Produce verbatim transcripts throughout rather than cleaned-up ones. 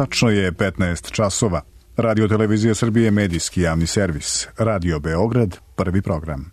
Tačno je petnaest časova. Radio Televizija Srbije, medijski javni servis. Radio Beograd, prvi program.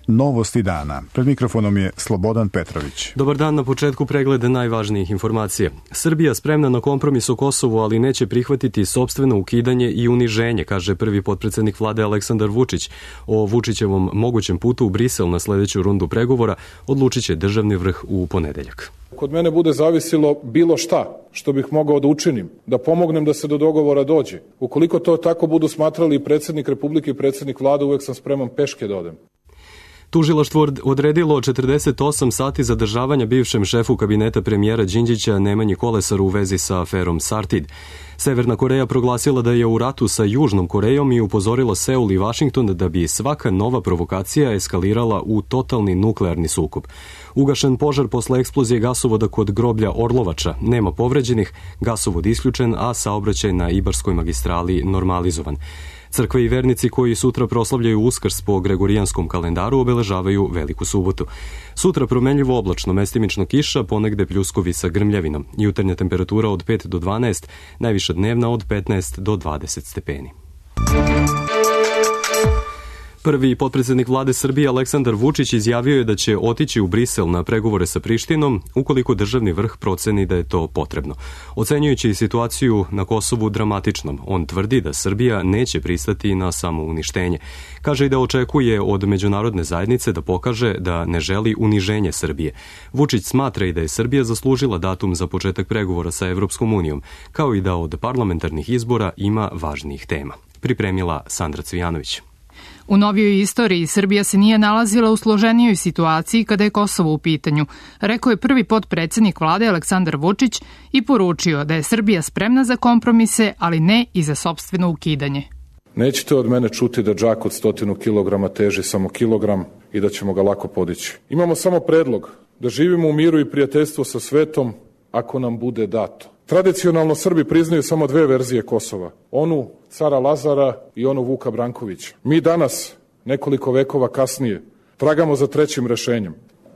Novosti dana. Pred mikrofonom je Slobodan Petrović. Dobar dan, na početku pregleda najvažnijih informacija. Srbija spremna na kompromis o Kosovu, ali neće prihvatiti sopstveno ukidanje i uniženje, kaže prvi potpredsednik vlade Aleksandar Vučić. O Vučićevom mogućem putu u Brisel na sledeću rundu pregovora odlučit će državni vrh u ponedeljak. Kod mene bude zavisilo bilo šta što bih mogao da učinim, da pomognem da se do dogovora dođe. Ukoliko to tako budu smatrali i predsednik Republike i predsednik vlade, uvek sam spreman peške da odem. Tužilaštvo odredilo četrdeset osam sati zadržavanja bivšem šefu kabineta premijera Đinđića Nemanji Kolesaru u vezi sa aferom Sartid. Severna Koreja proglasila da je u ratu sa Južnom Korejom i upozorila Seul i Vašington da bi svaka nova provokacija eskalirala u totalni nuklearni sukob. Ugašen požar posle eksplozije gasovoda kod groblja Orlovača. Nema povređenih, gasovod isključen, a saobraćaj na Ibarskoj magistrali normalizovan. Crkve i vernici koji sutra proslavljaju Uskrs po gregorijanskom kalendaru obeležavaju Veliku subotu. Sutra promenljivo oblačno, mestimično kiša, ponegde pljuskovi sa grmljavinom. Jutarnja temperatura od pet do dvanaest, najviša dnevna od petnaest do dvadeset stepeni. Prvi potpredsednik vlade Srbije Aleksandar Vučić izjavio je da će otići u Brisel na pregovore sa Prištinom ukoliko državni vrh proceni da je to potrebno. Ocenjujući situaciju na Kosovu dramatičnom, on tvrdi da Srbija neće pristati na samouništenje. Kaže i da očekuje od međunarodne zajednice da pokaže da ne želi uniženje Srbije. Vučić smatra i da je Srbija zaslužila datum za početak pregovora sa Evropskom unijom, kao i da od parlamentarnih izbora ima važnijih tema. Pripremila Sandra Cvijanović. U novijoj istoriji Srbija se nije nalazila u složenijoj situaciji kada je Kosovo u pitanju, rekao je prvi potpredsednik vlade Aleksandar Vučić i poručio da je Srbija spremna za kompromise, ali ne i za sopstveno ukidanje. Nećete od mene čuti da džak od stotinu kilograma teži samo kilogram i da ćemo ga lako podići. Imamo samo predlog da živimo u miru i prijateljstvu sa svetom ako nam bude dato. Tradicionalno Srbi priznaju samo dve verzije Kosova, onu cara Lazara i onu Vuka Brankovića. Mi danas, nekoliko vekova kasnije, tragamo za trećim rešenjem.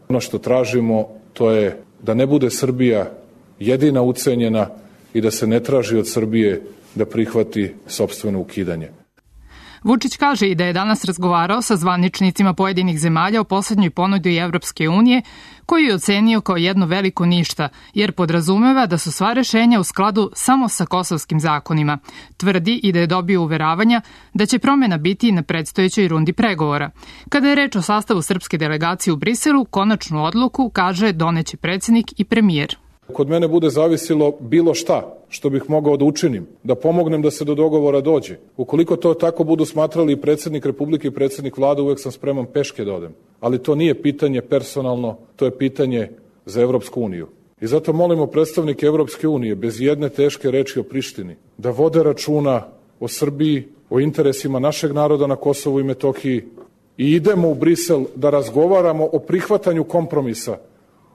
Ono što tražimo, to je da ne bude Srbija jedina ucenjena i da se ne traži od Srbije da prihvati sopstveno ukidanje. Vučić kaže i da je danas razgovarao sa zvaničnicima pojedinih zemalja o poslednjoj ponudi Evropske unije, koji je ocenio kao jedno veliko ništa, jer podrazumeva da su sva rešenja u skladu samo sa kosovskim zakonima. Tvrdi i da je dobio uveravanja da će promena biti na predstojećoj rundi pregovora. Kada je reč o sastavu srpske delegacije u Briselu, konačnu odluku, kaže, doneće predsednik i premijer. Kod mene bude zavisilo bilo šta što bih mogao da učinim, da pomognem da se do dogovora dođe. Ukoliko to tako budu smatrali i predsednik Republike i predsednik vlade, uvek sam spreman peške da odem. Ali to nije pitanje personalno, to je pitanje za Evropsku uniju. I zato molimo predstavnike Evropske unije, bez jedne teške reči o Prištini, da vode računa o Srbiji, o interesima našeg naroda na Kosovu i Metohiji i idemo u Brisel da razgovaramo o prihvatanju kompromisa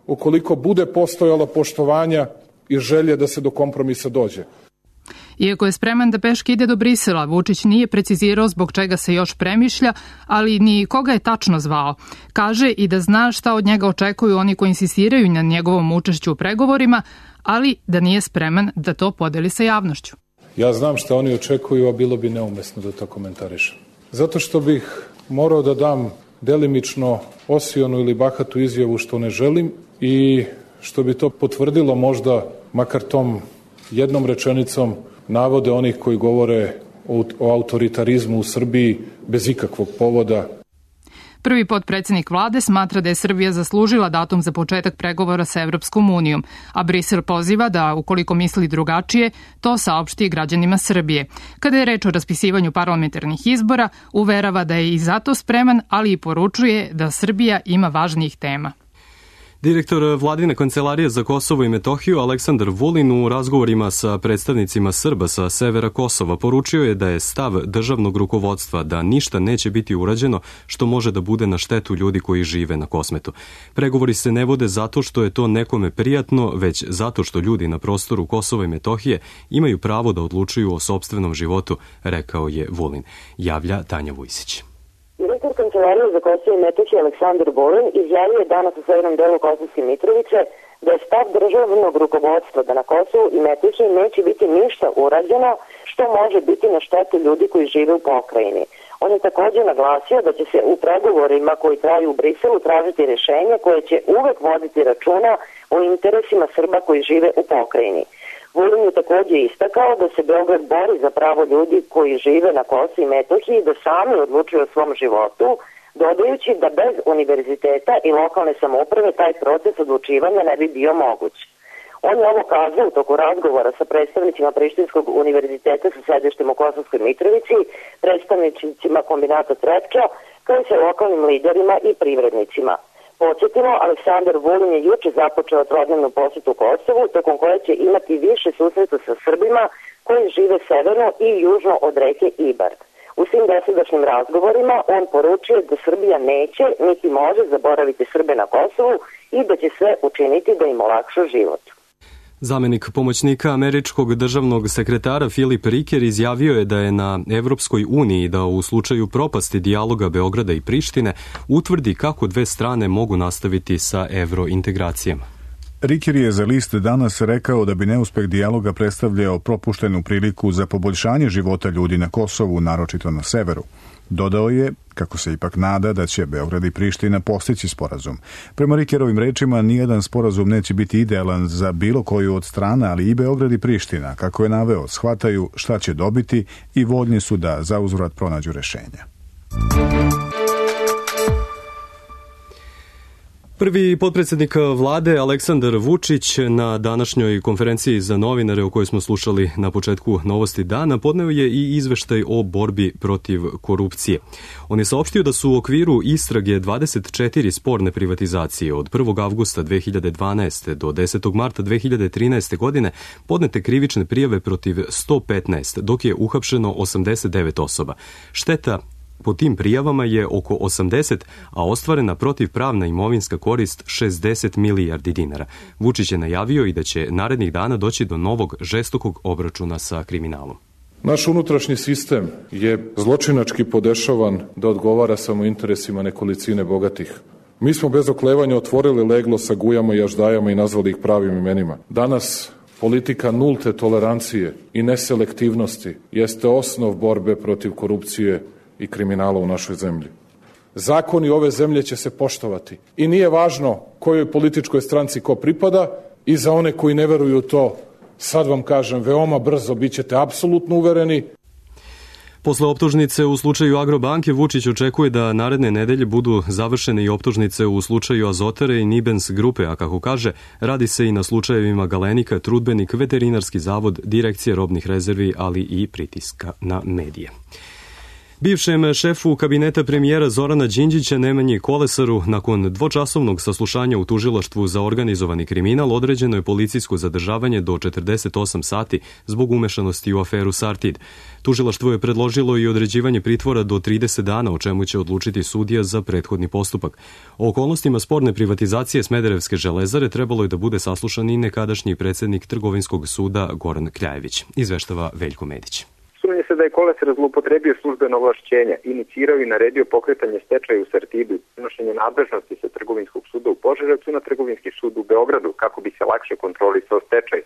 ukoliko bude postojalo poštovanja i želje da se do kompromisa dođe. Iako je spreman da peške ide do Brisela, Vučić nije precizirao zbog čega se još premišlja, ali ni koga je tačno zvao. Kaže i da zna šta od njega očekuju oni koji insistiraju na njegovom učešću u pregovorima, ali da nije spreman da to podeli sa javnošću. Ja znam šta oni očekuju, a bilo bi neumesno da to komentarišem. Zato što bih morao da dam delimično osionu ili bahatu izjavu što ne želim i što bi to potvrdilo možda, makar tom jednom rečenicom, navode onih koji govore o, o autoritarizmu u Srbiji bez ikakvog povoda. Prvi potpredsednik vlade smatra da je Srbija zaslužila datum za početak pregovora sa Evropskom unijom, a Brisel poziva da, ukoliko misli drugačije, to saopšti građanima Srbije. Kada je reč o raspisivanju parlamentarnih izbora, uverava da je i zato spreman, ali i poručuje da Srbija ima važnijih tema. Direktor vladine kancelarije za Kosovo i Metohiju Aleksandar Vulin u razgovorima sa predstavnicima Srba sa severa Kosova poručio je da je stav državnog rukovodstva da ništa neće biti urađeno što može da bude na štetu ljudi koji žive na Kosmetu. Pregovori se ne vode zato što je to nekome prijatno, već zato što ljudi na prostoru Kosova i Metohije imaju pravo da odlučuju o sopstvenom životu, rekao je Vulin. Javlja Tanja Vujsić. Direktor Šef Kancelarije za Kosovo i Metohiju Aleksandar Vulin izjavio je danas u severnom delu Kosovske Mitrovice da je stav državnog rukovodstva da na Kosovu i Metohiji neće biti ništa urađeno što može biti na štetu ljudi koji žive u pokrajini. On je također naglasio da će se u pregovorima koji traju u Briselu tražiti rješenje koje će uvek voditi računa o interesima Srba koji žive u pokrajini. Vulin je također istakao da se Beograd bori za pravo ljudi koji žive na Kosovu i Metohiji da sami odlučuju o svom životu, dodajući da bez univerziteta i lokalne samouprave taj proces odlučivanja ne bi bio moguć. On je ovo kazao u toku razgovora sa predstavnicima Prištinskog univerziteta sa sedištem u Kosovskoj Mitrovici, predstavnicima kombinata Trepča, kao i sa lokalnim liderima i privrednicima. Podsjetimo, Aleksandar Vulin je juče započeo trodnevnu posjetu Kosovu, tokom koje će imati više susreta sa Srbima koji žive severno i južno od reke Ibar. U svim dosadašnjim razgovorima on poručuje da Srbija neće niti može zaboraviti Srbe na Kosovu i da će sve učiniti da im olakša život. Zamenik pomoćnika američkog državnog sekretara Filip Riker izjavio je da je na Evropskoj uniji da u slučaju propasti dijaloga Beograda i Prištine utvrdi kako dve strane mogu nastaviti sa evrointegracijama. Riker je za list Danas rekao da bi neuspeh dijaloga predstavljao propuštenu priliku za poboljšanje života ljudi na Kosovu, naročito na severu. Dodao je, kako se ipak nada, da će Beograd i Priština postići sporazum. Prema Rikerovim rečima, nijedan sporazum neće biti idealan za bilo koju od strana, ali i Beograd i Priština, kako je naveo, shvataju šta će dobiti i voljni su da zauzvrat pronađu rešenja. Prvi potpredsjednik vlade Aleksandar Vučić na današnjoj konferenciji za novinare o kojoj smo slušali na početku Novosti dana podneo je i izveštaj o borbi protiv korupcije. On je saopštio da su u okviru istrage dvadeset četiri sporne privatizacije od prvog avgusta dve hiljade dvanaeste. do desetog marta dve hiljade trinaeste. godine podnete krivične prijave protiv sto petnaest, dok je uhapšeno osamdeset devet osoba. Šteta po tim prijavama je oko osamdeset, a ostvarena protivpravna imovinska korist šezdeset milijardi dinara. Vučić je najavio i da će narednih dana doći do novog žestokog obračuna sa kriminalom. Naš unutrašnji sistem je zločinački podešavan da odgovara samo interesima nekolicine bogatih. Mi smo bez oklevanja otvorili leglo sa gujama i aždajama i nazvali ih pravim imenima. Danas politika nulte tolerancije i neselektivnosti jeste osnov borbe protiv korupcije i kriminala u našoj zemlji. Zakoni ove zemlje će se poštovati i nije važno kojoj političkoj stranci ko pripada, i za one koji ne veruju u to, sad vam kažem, veoma brzo bit ćete apsolutno uvereni. Posle optužnice u slučaju Agrobanke, Vučić očekuje da naredne nedelje budu završene i optužnice u slučaju Azotare i Nibens grupe, a kako kaže, radi se i na slučajevima Galenika, Trudbenik, Veterinarski zavod, Direkcije robnih rezervi, ali i pritiska na medije. Bivšem šefu kabineta premijera Zorana Đinđića Nemanji Kolesaru nakon dvočasovnog saslušanja u tužilaštvu za organizovani kriminal određeno je policijsko zadržavanje do četrdeset osam sati zbog umešanosti u aferu Sartid. Tužilaštvo je predložilo i određivanje pritvora do trideset dana, o čemu će odlučiti sudija za prethodni postupak. O okolnostima sporne privatizacije Smederevske železare trebalo je da bude saslušan i nekadašnji predsjednik Trgovinskog suda Goran Kljajević. Izveštava Veljko Medić. Sumnje se da je Kolesar zloupotrebio službeno ovlašćenja, inicirao i naredio pokretanje stečaja u Sartidu, prenošenje nadležnosti sa Trgovinskog suda u Požarevcu na Trgovinski sud u Beogradu, kako bi se lakše kontrolisao stečaj.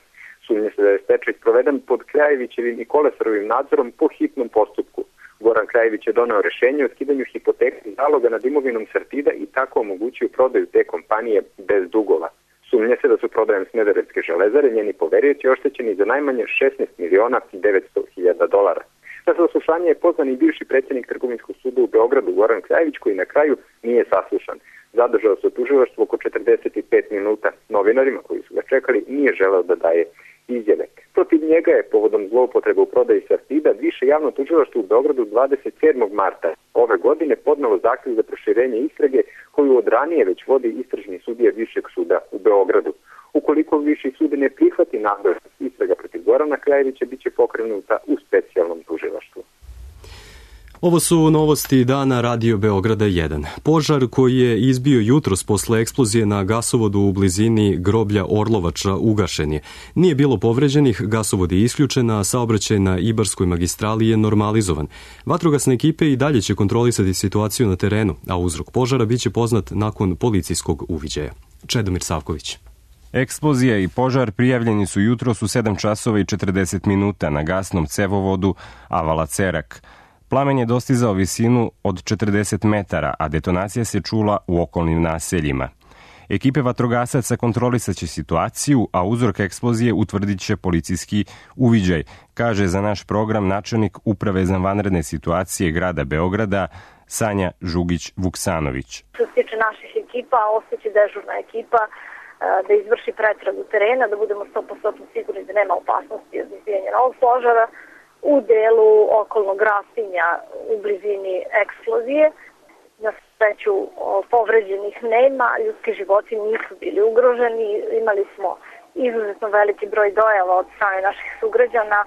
Sumnje se da je stečaj sproveden pod Kljajevićevim i Kolesarovim nadzorom po hitnom postupku. Goran Kljajević je doneo rešenje o skidanju hipoteknih zaloga nad imovinom Sartida i tako omogućio prodaju te kompanije bez dugova. Sumnje se da su prodajem Smederevske železare njeni poverioci oštećeni za najmanje šesnaest miliona devetsto hiljada dolara. Na saslušanje je pozvan i bivši predsjednik Trgovinskog suda u Beogradu Goran Kljajević, koji na kraju nije saslušan. Zadržao se u tužilaštvu oko četrdeset pet minuta. Novinarima koji su ga čekali nije želeo da daje izjave. Protiv njega je povodom zloupotrebe u prodaji Sartida više javno tužilaštvo u Beogradu dvadeset sedmog marta ove godine podnelo zahtjev za proširenje istrage koju od ranije već vodi istražni sudija Višeg suda u Beogradu. Ukoliko Viši sud ne prihvati nadležnost istraga protiv Gorana Kljajevića, biće pokrenuta u specijalnom tužilaštvu. Ovo su novosti dana Radio Beograda jedan. Požar koji je izbio jutros posle eksplozije na gasovodu u blizini groblja Orlovača ugašen je. Nije bilo povređenih, gasovod je isključen, a saobraćaj na Ibarskoj magistrali je normalizovan. Vatrogasne ekipe i dalje će kontrolisati situaciju na terenu, a uzrok požara biće poznat nakon policijskog uviđaja. Čedomir Savković. Eksplozija i požar prijavljeni su jutros u sedam časova i četrdeset minuta na gasnom cevovodu Avala Cerak. Plamen je dostizao visinu od četrdeset metara, a detonacija se čula u okolnim naseljima. Ekipe vatrogasaca kontrolisaće situaciju, a uzrok eksplozije utvrdit će policijski uviđaj, kaže za naš program načelnik Uprave za vanredne situacije grada Beograda Sanja Žugić-Vuksanović. Što se tiče naših ekipa, ostaće dežurna ekipa da izvrši pretragu terena, da budemo sto posto sigurni da nema opasnosti od izbijanja novog požara. U delu okolnog rastinja u blizini eksplozije. Na sreću povređenih nema, ljudski životi nisu bili ugroženi, imali smo izuzetno veliki broj dojava od strane naših sugrađana.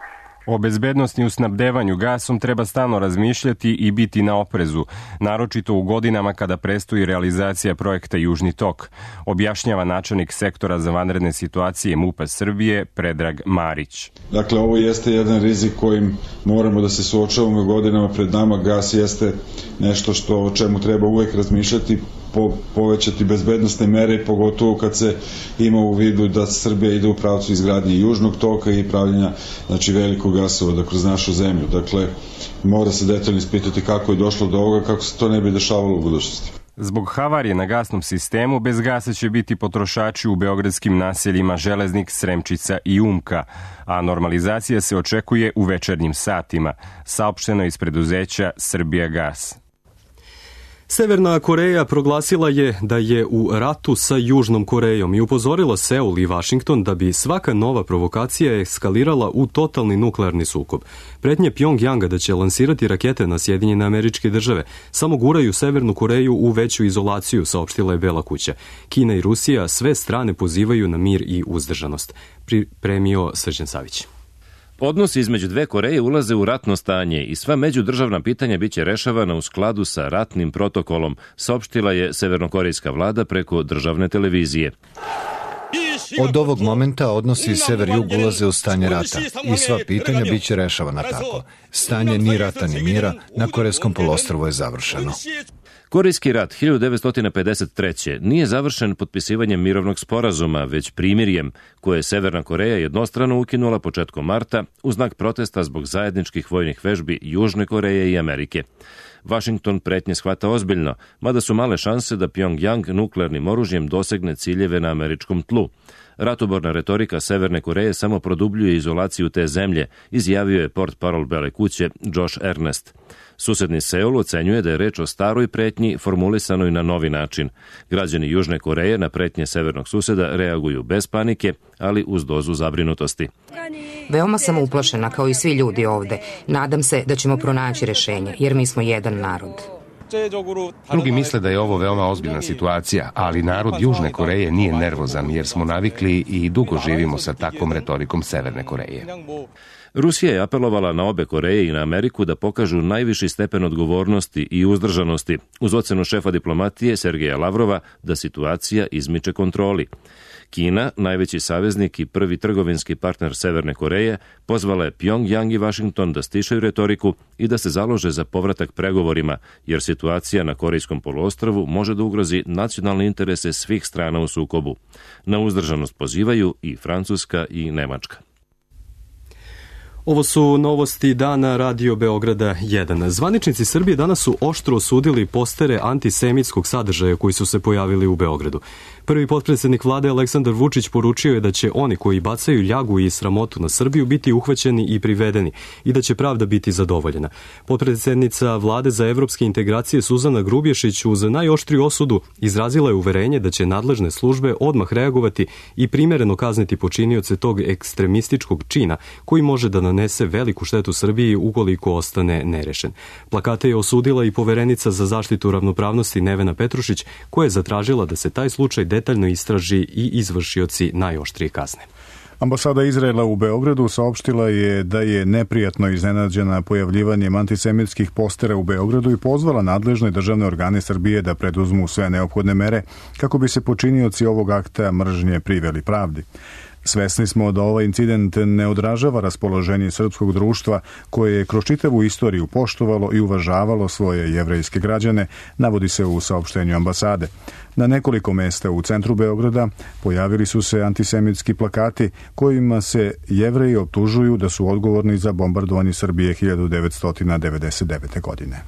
O bezbednosti u snabdevanju gasom treba stalno razmišljati i biti na oprezu, naročito u godinama kada prestoji realizacija projekta Južni tok, objašnjava načelnik sektora za vanredne situacije MUP-a Srbije Predrag Marić. Dakle, ovo jeste jedan rizik kojim moramo da se suočavamo godinama pred nama. Gas jeste nešto što o čemu treba uvek razmišljati, po, povećati bezbednostne mere, pogotovo kad se ima u vidu da Srbija ide u pravcu izgradnje Južnog toka i pravljenja znači, velikog gasovoda kroz našu zemlju. Dakle, mora se detaljno ispitati kako je došlo do ovoga, kako se to ne bi dešavalo u budućnosti. Zbog havarije na gasnom sistemu bez gasa će biti potrošači u beogradskim naseljima Železnik, Sremčica i Umka, a normalizacija se očekuje u večernjim satima, saopšteno iz preduzeća Srbijagas. Severna Koreja proglasila je da je u ratu sa Južnom Korejom i upozorila Seul i Vašington da bi svaka nova provokacija eskalirala u totalni nuklearni sukob. Pretnje Pjongjanga da će lansirati rakete na Sjedinjene Američke Države samo guraju Severnu Koreju u veću izolaciju, saopštila je Bela kuća. Kina i Rusija sve strane pozivaju na mir i uzdržanost. Pripremio Srđan Savić. Odnosi između dve Koreje ulaze u ratno stanje i sva međudržavna pitanja biće rešavana u skladu sa ratnim protokolom, saopštila je severnokorejska vlada preko državne televizije. Od ovog momenta odnosi sever-jug ulaze u stanje rata i sva pitanja biće rešavana tako. Stanje ni rata ni mira na Korejskom poluostrvu je završeno. Korejski rat hiljadu devetsto pedeset treće nije završen potpisivanjem mirovnog sporazuma, već primirjem, koje je Severna Koreja jednostrano ukinula početkom marta u znak protesta zbog zajedničkih vojnih vežbi Južne Koreje i Amerike. Vašington pretnje shvata ozbiljno, mada su male šanse da Pjongjang nuklearnim oružjem dosegne ciljeve na američkom tlu. Ratoborna retorika Severne Koreje samo produbljuje izolaciju te zemlje, izjavio je portparol Bele kuće Josh Ernest. Susedni Seul ocenjuje da je reč o staroj pretnji formulisanoj na novi način. Građani Južne Koreje na pretnje severnog suseda reaguju bez panike, ali uz dozu zabrinutosti. Veoma sam uplašena kao i svi ljudi ovde. Nadam se da ćemo pronaći rešenje, jer mi smo jedan narod. Drugi misle da je ovo veoma ozbiljna situacija, ali narod Južne Koreje nije nervozan jer smo navikli i dugo živimo sa takvom retorikom Severne Koreje. Rusija je apelovala na obe Koreje i na Ameriku da pokažu najviši stepen odgovornosti i uzdržanosti, uz ocenu šefa diplomatije Sergeja Lavrova da situacija izmiče kontroli. Kina, najveći saveznik i prvi trgovinski partner Severne Koreje, pozvala je Pjongjang i Vašington da stišaju retoriku i da se založe za povratak pregovorima, jer situacija na Korejskom poluostrvu može da ugrozi nacionalne interese svih strana u sukobu. Na uzdržanost pozivaju i Francuska i Nemačka. Ovo su novosti dana Radio Beograda jedan. Zvaničnici Srbije danas su oštro osudili postere antisemitskog sadržaja koji su se pojavili u Beogradu. Prvi potpredsednik vlade Aleksandar Vučić poručio je da će oni koji bacaju ljagu i sramotu na Srbiju biti uhvaćeni i privedeni i da će pravda biti zadovoljena. Potpredsednica vlade za evropske integracije Suzana Grubješić uz najoštriju osudu izrazila je uverenje da će nadležne službe odmah reagovati i primereno kazniti počinioce tog ekstremističkog čina koji može da nanese veliku štetu Srbiji ukoliko ostane nerešen. Plakate je osudila i poverenica za zaštitu ravnopravnosti Nevena Petrušić, koja je zatražila da se taj slučaj detaljno istraži i izvršioci najoštrije kazne. Ambasada Izraela u Beogradu saopštila je da je neprijatno iznenađena pojavljivanjem antisemitskih postera u Beogradu i pozvala nadležne državne organe Srbije da preduzmu sve neophodne mere kako bi se počinioci ovog akta mržnje priveli pravdi. Svesni smo da ovaj incident ne odražava raspoloženje srpskog društva koje je kroz čitavu istoriju poštovalo i uvažavalo svoje jevrejske građane, navodi se u saopštenju ambasade. Na nekoliko mesta u centru Beograda pojavili su se antisemitski plakati kojima se Jevreji optužuju da su odgovorni za bombardovanje Srbije hiljadu devetsto devedeset devete. godine.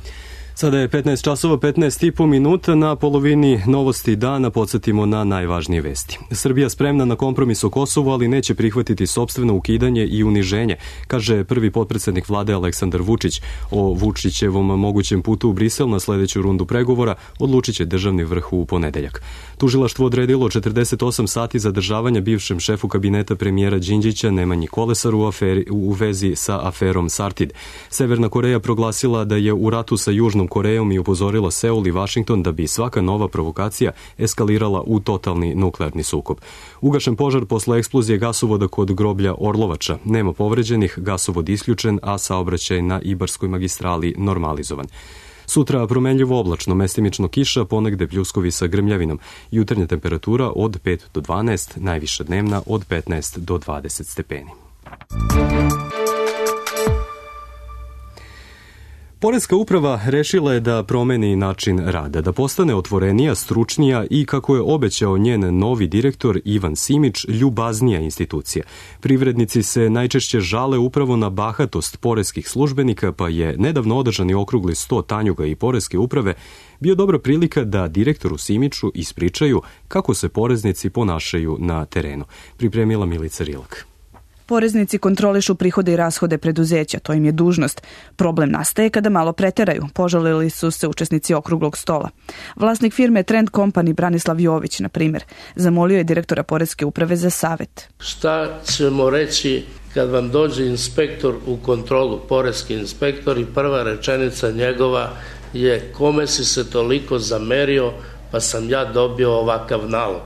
Sada je petnaest časova petnaest i po minuta, na polovini novosti dana podsjetimo na najvažnije vesti. Srbija spremna na kompromis o Kosovu, ali neće prihvatiti sopstveno ukidanje i uniženje, kaže prvi potpredsednik vlade Aleksandar Vučić. O Vučićevom mogućem putu u Brisel na sledeću rundu pregovora odlučit će državni vrh u ponedeljak. Tužilaštvo odredilo četrdeset osam sati zadržavanja bivšem šefu kabineta premijera Đinđića Nemanji Kolesaru u, aferi, u vezi sa aferom Sartid. Severna Koreja proglasila da je u ratu sa Južnom Korejom i upozorila Seul i Vašington da bi svaka nova provokacija eskalirala u totalni nuklearni sukob. Ugašen požar posle eksplozije gasovoda kod groblja Orlovača. Nema povređenih, gasovod isključen, a saobraćaj na Ibarskoj magistrali normalizovan. Sutra promenljivo oblačno, mestimično kiša, ponegde pljuskovi sa grmljavinom. Jutarnja temperatura od pet do dvanaest, najviša dnevna od petnaest do dvadeset stepeni. Poreska uprava rešila je da promeni način rada, da postane otvorenija, stručnija i, kako je obećao njen novi direktor Ivan Simić, ljubaznija institucija. Privrednici se najčešće žale upravo na bahatost poreskih službenika, pa je nedavno održani okrugli sto Tanjuga i poreske uprave bio dobra prilika da direktoru Simiću ispričaju kako se poreznici ponašaju na terenu. Pripremila Milica Rilak. Poreznici kontrolišu prihode i rashode preduzeća, to im je dužnost. Problem nastaje kada malo preteraju, požalili su se učesnici okruglog stola. Vlasnik firme Trend Company Branislav Jović, na primjer, zamolio je direktora poreske uprave za savet. Šta ćemo reći kad vam dođe inspektor u kontrolu, poreski inspektor, i prva rečenica njegova je: kome si se toliko zamerio pa sam ja dobio ovakav nalog.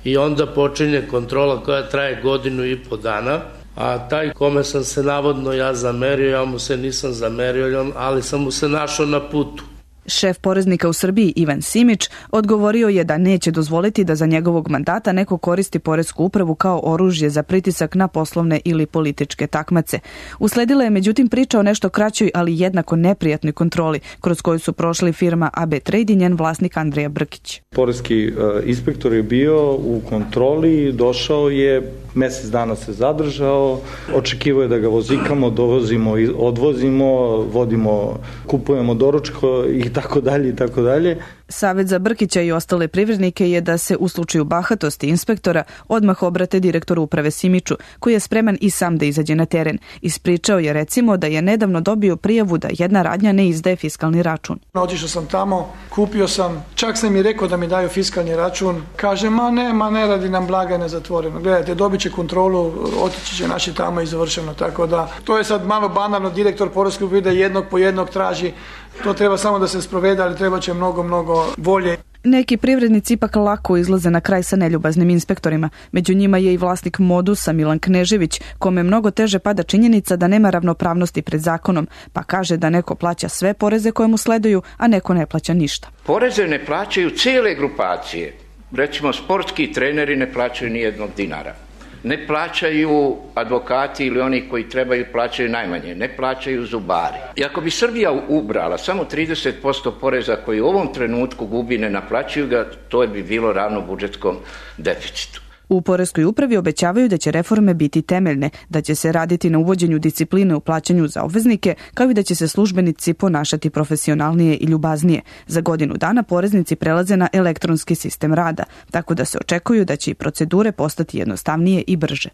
I onda počinje kontrola koja traje godinu i po dana, a taj kome sam se navodno ja zamerio, ja mu se nisam zamerio, ali sam mu se našao na putu. Šef poreznika u Srbiji Ivan Simić odgovorio je da neće dozvoliti da za njegovog mandata neko koristi poresku upravu kao oružje za pritisak na poslovne ili političke takmace. Usledila je međutim priča o nešto kraćoj, ali jednako neprijatnoj kontroli, kroz koju su prošli firma A B Trade i njen vlasnik Andrija Brkić. Poreski inspektor je bio u kontroli, došao je, mesec dana se zadržao, očekivao je da ga vozikamo, dovozimo, odvozimo, vodimo, kupujemo doručko i tako dalje i tako dalje. Savet za Brkića i ostale privrednike je da se u slučaju bahatosti inspektora odmah obrate direktoru uprave Simiću, koji je spreman i sam da izađe na teren. Ispričao je recimo da je nedavno dobio prijavu da jedna radnja ne izdaje fiskalni račun. Otišao sam tamo, kupio sam, čak sam mi rekao da mi daju fiskalni račun. Kaže, ma ne, ma ne radi nam blagajne zatvoreno. Gledajte, dobit će kontrolu, otići će naši tamo i završeno. Tako da, to je sad malo banalno, direktor poreske uprave da jednog po jednog traži. To treba samo da se sprovede, ali treba će mnogo, mnogo volje. Neki privrednici ipak lako izlaze na kraj sa neljubaznim inspektorima. Među njima je i vlasnik Modusa Milan Knežević, kome mnogo teže pada činjenica da nema ravnopravnosti pred zakonom, pa kaže da neko plaća sve poreze koje mu sleduju, a neko ne plaća ništa. Poreze ne plaćaju cijele grupacije. Recimo, sportski treneri ne plaćaju ni jednog dinara. Ne plaćaju advokati ili oni koji trebaju plaćaju najmanje, ne plaćaju zubari. I ako bi Srbija ubrala samo trideset posto poreza koji u ovom trenutku gubi, ne naplaćuju ga, to bi bilo ravno budžetskom deficitu. U poreskoj upravi obećavaju da će reforme biti temeljne, da će se raditi na uvođenju discipline u plaćanju za obveznike, kao i da će se službenici ponašati profesionalnije i ljubaznije. Za godinu dana poreznici prelaze na elektronski sistem rada, tako da se očekuju da će i procedure postati jednostavnije i brže.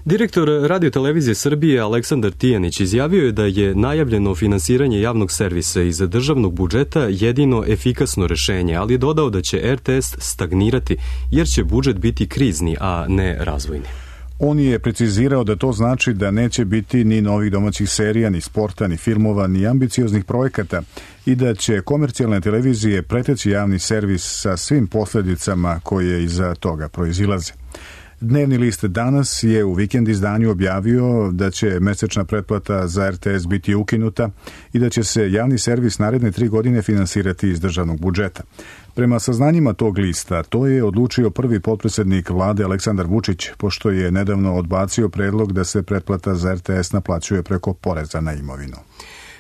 Direktor Radio-televizije Srbije Aleksandar Tijanić izjavio je da je najavljeno finansiranje javnog servisa iz državnog budžeta jedino efikasno rešenje, ali je dodao da će R T S stagnirati jer će budžet biti krizni, a ne razvojni. On je precizirao da to znači da neće biti ni novih domaćih serija, ni sporta, ni filmova, ni ambicioznih projekata i da će komercijalne televizije preteći javni servis sa svim posledicama koje iza toga proizilaze. Dnevni list Danas je u vikend izdanju objavio da će mesečna pretplata za er te es biti ukinuta i da će se javni servis naredne tri godine finansirati iz državnog budžeta. Prema saznanjima tog lista, to je odlučio prvi potpredsednik vlade Aleksandar Vučić, pošto je nedavno odbacio predlog da se pretplata za er te es naplaćuje preko poreza na imovinu.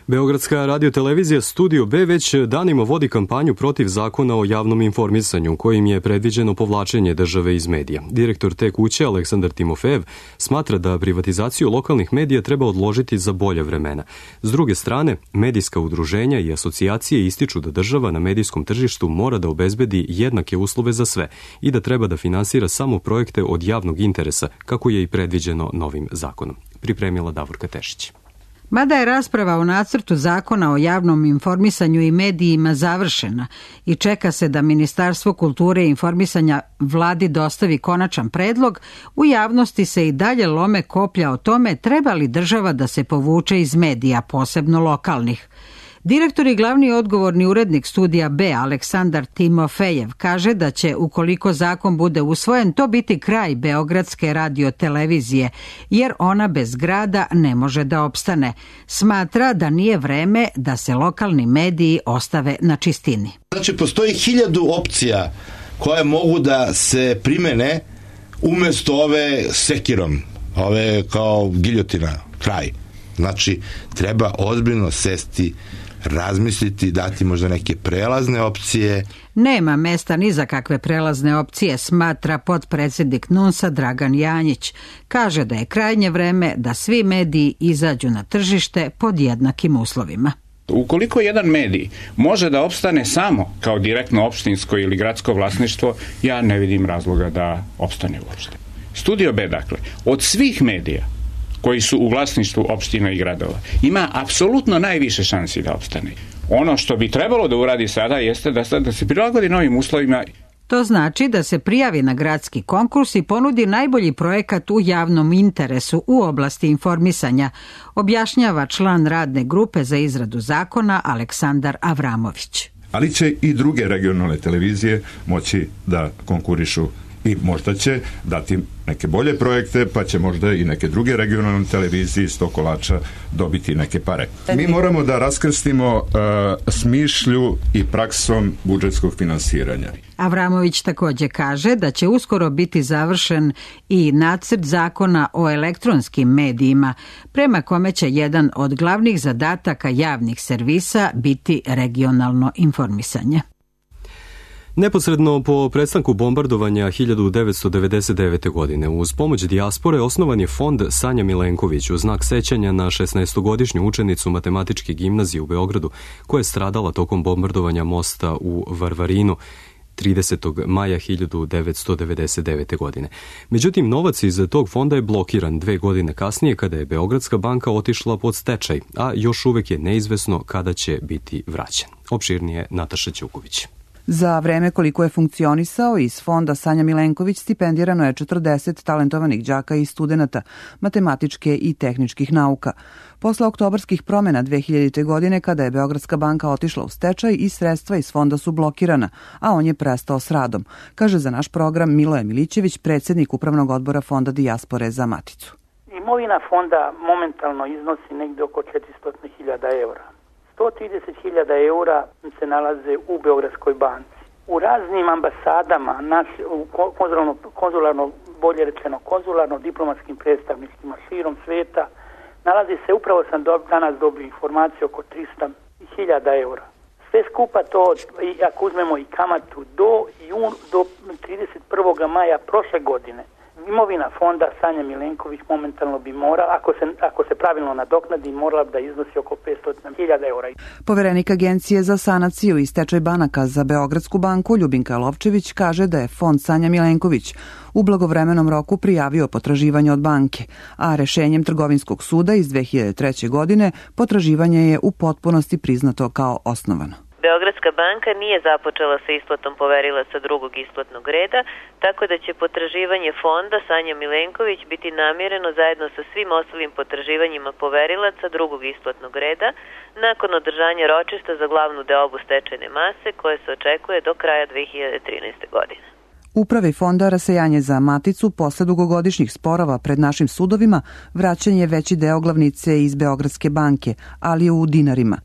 Beogradska radiotelevizija Studio B već danima vodi kampanju protiv zakona o javnom informisanju, kojim je predviđeno povlačenje države iz medija. Direktor te kuće, Aleksandar Timofejev, smatra da privatizaciju lokalnih medija treba odložiti za bolja vremena. S druge strane, medijska udruženja i asocijacije ističu da država na medijskom tržištu mora da obezbedi jednake uslove za sve i da treba da finansira samo projekte od javnog interesa, kako je i predviđeno novim zakonom. Pripremila Davorka Tešić. Mada je rasprava o nacrtu zakona o javnom informisanju i medijima završena i čeka se da Ministarstvo kulture i informisanja vladi dostavi konačan predlog, u javnosti se i dalje lome koplja o tome treba li država da se povuče iz medija, posebno lokalnih. Direktor i glavni odgovorni urednik Studija B, Aleksandar Timofejev, kaže da će, ukoliko zakon bude usvojen, to biti kraj Beogradske radiotelevizije, jer ona bez grada ne može da opstane. Smatra da nije vreme da se lokalni mediji ostave na čistini. Znači, postoji hiljadu opcija koje mogu da se primene umjesto ove sekirom, ove kao giljotina, kraj. Znači, treba ozbiljno sesti, razmisliti, dati možda neke prelazne opcije. Nema mesta ni za kakve prelazne opcije, smatra potpredsjednik N U N S-a Dragan Janjić. Kaže da je krajnje vreme da svi mediji izađu na tržište pod jednakim uslovima. Ukoliko jedan medij može da opstane samo kao direktno opštinsko ili gradsko vlasništvo, ja ne vidim razloga da opstane uopšte. Studio B, dakle, od svih medija koji su u vlasništvu opština i gradova, ima apsolutno najviše šansi da opstane. Ono što bi trebalo da uradi sada jeste da, da se prilagodi novim uslovima. To znači da se prijavi na gradski konkurs i ponudi najbolji projekat u javnom interesu u oblasti informisanja, objašnjava član radne grupe za izradu zakona Aleksandar Avramović. Ali će i druge regionalne televizije moći da konkurišu i možda će dati neke bolje projekte, pa će možda i neke druge regionalne televizije iz tog kolača dobiti neke pare. Mi moramo da raskrstimo uh, smišlju i praksom budžetskog finansiranja. Avramović također kaže da će uskoro biti završen i nacrt zakona o elektronskim medijima, prema kome će jedan od glavnih zadataka javnih servisa biti regionalno informisanje. Neposredno po prestanku bombardovanja hiljadu devetsto devedeset devete. godine uz pomoć dijaspore osnovan je fond Sanja Milenković u znak sećanja na šesnaestogodišnju učenicu matematičke gimnazije u Beogradu koja je stradala tokom bombardovanja mosta u Varvarinu tridesetog maja hiljadu devetsto devedeset devete. godine. Međutim, novac iz tog fonda je blokiran dve godine kasnije kada je Beogradska banka otišla pod stečaj, a još uvek je neizvesno kada će biti vraćen. Opširnije Nataša Ćuković. Za vreme koliko je funkcionisao, iz fonda Sanja Milenković stipendirano je četrdeset talentovanih đaka i studenata matematičke i tehničkih nauka. Posle oktobarskih promena dve hiljadite. godine, kada je Beogradska banka otišla u stečaj i sredstva iz fonda su blokirana, a on je prestao s radom, kaže za naš program Miloje Milićević, predsjednik Upravnog odbora Fonda dijaspore za Maticu. Imovina fonda momentalno iznosi negde oko četiristo hiljada eura. sto trideset hiljada eura se nalaze u Beogradskoj banci. U raznim ambasadama, u konzularno, konzularno, bolje rečeno konzularno-diplomatskim predstavnicima širom sveta, nalazi se, upravo sam do, danas dobio informaciju, oko tristo hiljada eura. Sve skupa to, i ako uzmemo i kamatu, do, jun, do trideset prvog maja prošle godine, imovina fonda Sanja Milenković momentalno bi morala, ako se, ako se pravilno nadoknadi, morala da iznosi oko petsto hiljada eura. Poverenik Agencije za sanaciju i stečaj banaka za Beogradsku banku Ljubinka Lovčević kaže da je fond Sanja Milenković u blagovremenom roku prijavio potraživanje od banke, a rešenjem Trgovinskog suda iz dve hiljade treće. godine potraživanje je u potpunosti priznato kao osnovano. Beogradska banka nije započela sa isplatom poverilaca drugog isplatnog reda, tako da će potraživanje fonda Sanja Milenković biti namireno zajedno sa svim ostalim potraživanjima poverilaca drugog isplatnog reda nakon održanja ročišta za glavnu deobu stečajne mase koje se očekuje do kraja dve hiljade trinaeste. godine. Upravi fonda rasejanje za maticu posle dugogodišnjih sporova pred našim sudovima vraćen je veći deo glavnice iz Beogradske banke, ali u dinarima.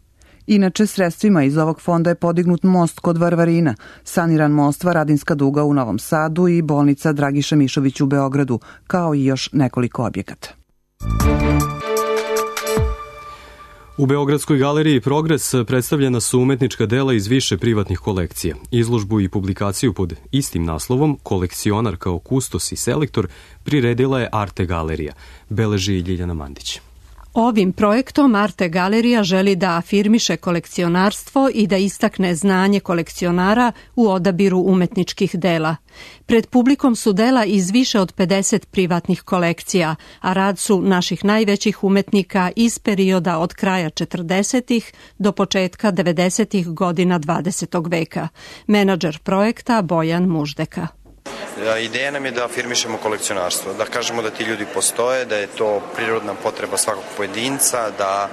Inače, sredstvima iz ovog fonda je podignut most kod Varvarina, saniran most Varadinska duga u Novom Sadu i bolnica Dragiša Mišović u Beogradu, kao i još nekoliko objekata. U Beogradskoj galeriji Progres predstavljena su umetnička dela iz više privatnih kolekcija. Izložbu i publikaciju pod istim naslovom Kolekcionar kao kustos i selektor priredila je Arte galerija, beleži Ljiljana Mandić. Ovim projektom Arte galerija želi da afirmiše kolekcionarstvo i da istakne znanje kolekcionara u odabiru umetničkih dela. Pred publikom su dela iz više od pedeset privatnih kolekcija, a rad su naših najvećih umetnika iz perioda od kraja četrdesetih do početka devedesetih godina dvadesetog veka. Menadžer projekta Bojan Muždeka. Ideja nam je da afirmišemo kolekcionarstvo, da kažemo da ti ljudi postoje, da je to prirodna potreba svakog pojedinca, da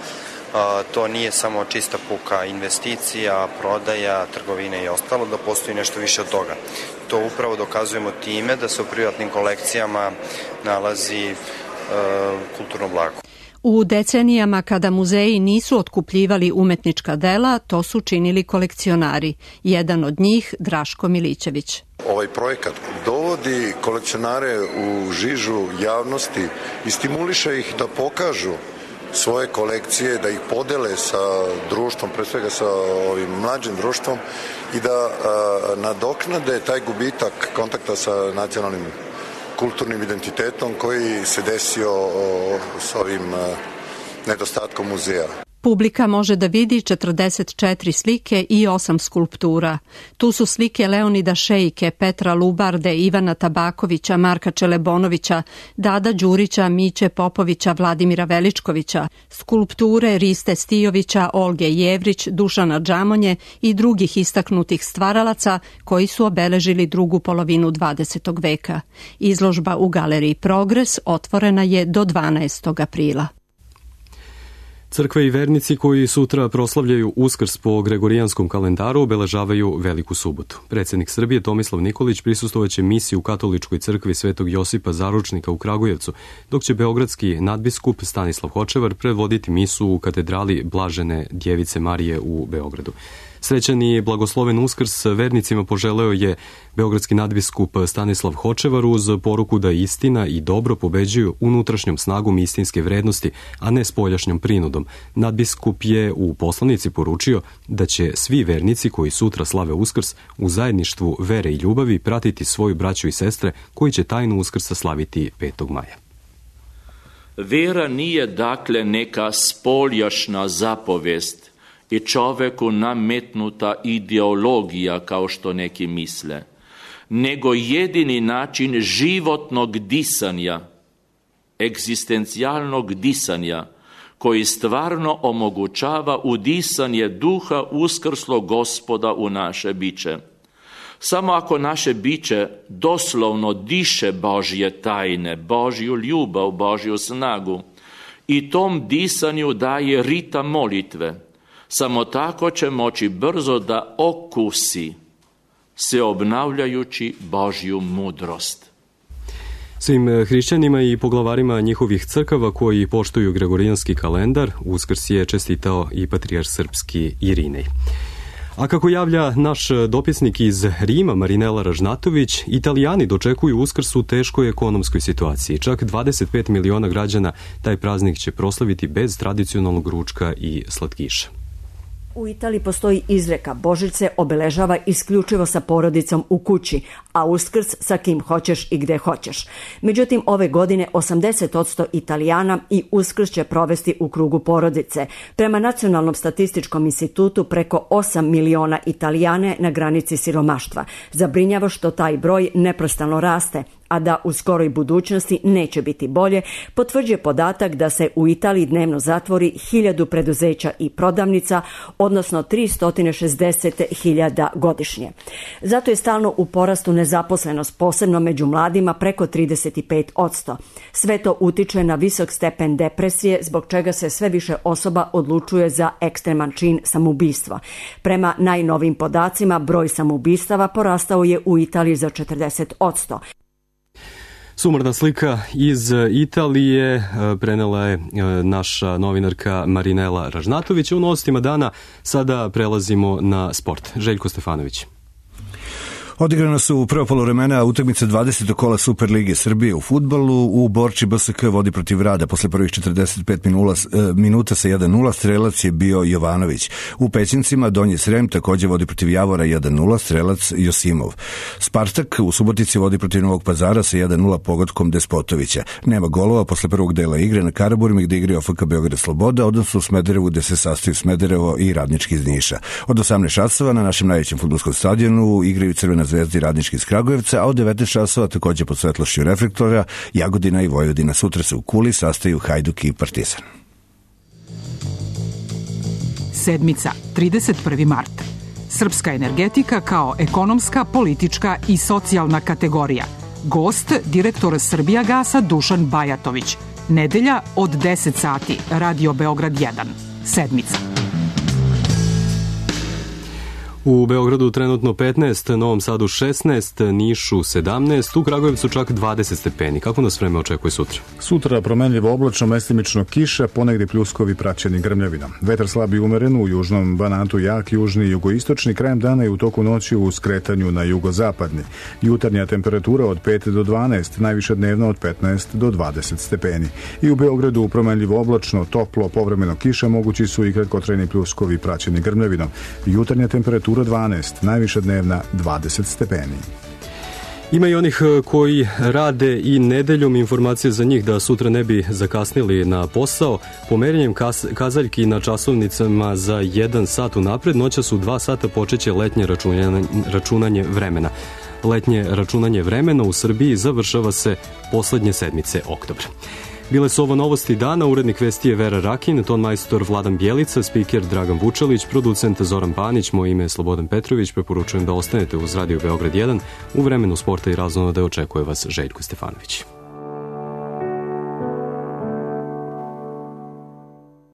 a, to nije samo čista puka investicija, prodaja, trgovine i ostalo, da postoji nešto više od toga. To upravo dokazujemo time da se u privatnim kolekcijama nalazi a, kulturno blago. U decenijama kada muzeji nisu otkupljivali umetnička dela, to su činili kolekcionari. Jedan od njih, Draško Milićević. Ovaj projekat dovodi kolekcionare u žižu javnosti i stimuliše ih da pokažu svoje kolekcije, da ih podele sa društvom, pre svega sa ovim mlađim društvom i da a, nadoknade taj gubitak kontakta sa nacionalnim kulturnim identitetom koji se desio o, s ovim a, nedostatkom muzeja. Publika može da vidi četrdeset četiri slike i osam skulptura. Tu su slike Leonida Šejke, Petra Lubarde, Ivana Tabakovića, Marka Čelebonovića, Dada Đurića, Miće Popovića, Vladimira Veličkovića, skulpture Riste Stijovića, Olge Jevrić, Dušana Džamonje i drugih istaknutih stvaralaca koji su obeležili drugu polovinu dvadesetog veka. Izložba u galeriji Progres otvorena je do dvanaestog aprila. Crkve i vernici koji sutra proslavljaju Uskrs po gregorijanskom kalendaru obeležavaju Veliku subotu. Predsjednik Srbije Tomislav Nikolić prisustvovaće misiji u katoličkoj crkvi Svetog Josipa Zaručnika u Kragujevcu, dok će beogradski nadbiskup Stanislav Hočevar predvoditi misu u katedrali Blažene Djevice Marije u Beogradu. Srećan i blagosloven Uskrs vernicima poželeo je beogradski nadbiskup Stanislav Hočevar uz poruku da istina i dobro pobeđuju unutrašnjom snagom istinske vrednosti, a ne spoljašnjom prinudom. Nadbiskup je u poslanici poručio da će svi vernici koji sutra slave Uskrs u zajedništvu vere i ljubavi pratiti svoju braću i sestre koji će tajnu Uskrsa slaviti petog maja. Vera nije dakle neka spoljašna zapovest i čoveku nametnuta ideologija kao što neki misle, nego jedini način životnog disanja, egzistencijalnog disanja, koji stvarno omogućava udisanje duha uskrslog Gospoda u naše biće. Samo ako naše biće doslovno diše Božje tajne, Božju ljubav, Božju snagu i tom disanju daje ritam molitve, samo tako će moći brzo da okusi se obnavljajući Božju mudrost. Svim hrišćanima i poglavarima njihovih crkava koji poštuju gregorijanski kalendar, Uskrs je čestitao i patrijarh srpski Irinej. A kako javlja naš dopisnik iz Rima, Marinela Ražnatović, Italijani dočekuju Uskrs u teškoj ekonomskoj situaciji. Čak dvadeset pet miliona građana taj praznik će proslaviti bez tradicionalnog ručka i slatkiša. U Italiji postoji izreka: Božić se obeležava isključivo sa porodicom u kući, a Uskrs sa kim hoćeš i gde hoćeš. Međutim, ove godine osamdeset posto Italijana i Uskrs će provesti u krugu porodice. Prema Nacionalnom statističkom institutu, preko osam miliona Italijana je na granici siromaštva. Zabrinjava što taj broj neprestano raste, a da u skoroj budućnosti neće biti bolje, potvrđuje podatak da se u Italiji dnevno zatvori hiljadu preduzeća i prodavnica, odnosno tristo šezdeset hiljada godišnje. Zato je stalno u porastu nezaposlenost, posebno među mladima preko trideset pet posto. Sve to utiče na visok stepen depresije, zbog čega se sve više osoba odlučuje za ekstreman čin samoubistva. Prema najnovim podacima, broj samoubistava porastao je u Italiji za četrdeset posto. Sumorna slika iz Italije prenela je naša novinarka Marinela Ražnatović. U novostima dana sada prelazimo na sport. Željko Stefanović. Odigrano su u prvo poluvremena utakmice dvadesetog kola Superlige Srbije u fudbalu. U Borči B S K vodi protiv Rada posle prvih četrdeset pet minuta sa jedan nula, strelac je bio Jovanović. U Pećincima Donji Srem takođe vodi protiv Javora jedan nula, strelac Josimov. Spartak u Subotici vodi protiv Novog Pazara sa jedan nula pogodkom Despotovića. Nema golova posle prvog dela igre na Karaburmi gde igra F K Beograd Sloboda, odnosno u Smederevu gde se sastaju Smederevo i Radnički iz Niša. Od osamnaest časova na našem najvećem fudbalskom stadionu igraju Crvena Zvezda i Radnički iz Kragujevca, a od devetnaest časova takođe pod svetlošću reflektora Jagodina i Vojvodina. Sutra se u Kuli sastaju Hajduk i Partizan. Sedmica, trideset prvi mart. Srpska energetika kao ekonomska, politička i socijalna kategorija. Gost, direktor Srbijagasa Dušan Bajatović. Nedelja od deset sati, Radio Beograd jedan. Sedmica. U Beogradu trenutno petnaest, Novom Sadu šesnaest, Nišu sedamnaest, u Kragujevcu čak dvadeset stepeni. Kako nas vreme očekuje sutra? Sutra promenljivo oblačno, mestimično kiša, ponegde pljuskovi praćeni grmljavinom. Vetar slab i umeren, u južnom Banatu jak, južni i jugoistočni, krajem dana i u toku noći u skretanju na jugozapadni. Jutarnja temperatura od pet do dvanaest, najviša dnevna od petnaest do dvadeset stepeni. I u Beogradu promenljivo oblačno, toplo, povremeno kiša, mogući su i kratkotrajni pljuskovi praćeni grmljavinom. Jutarnja temperatura dvanaest, najviša dnevna dvadeset stepeni. Ima i onih koji rade i nedeljom, informacije za njih da sutra ne bi zakasnili na posao. Pomeranjem kazaljki na časovnicama za jedan sat unapred, noćas u dva sata počeće letnje računanje, računanje vremena. Letnje računanje vremena u Srbiji završava se poslednje sedmice oktobra. Bile su ovo novosti dana, urednik vesti je Vera Rakin, ton majstor Vladan Bjelica, spiker Dragan Vučelić, producent Zoran Panić, moje ime je Slobodan Petrović, preporučujem da ostanete uz Radio Beograd jedan, u vremenu sporta i razonode očekuje vas Željko Stefanović.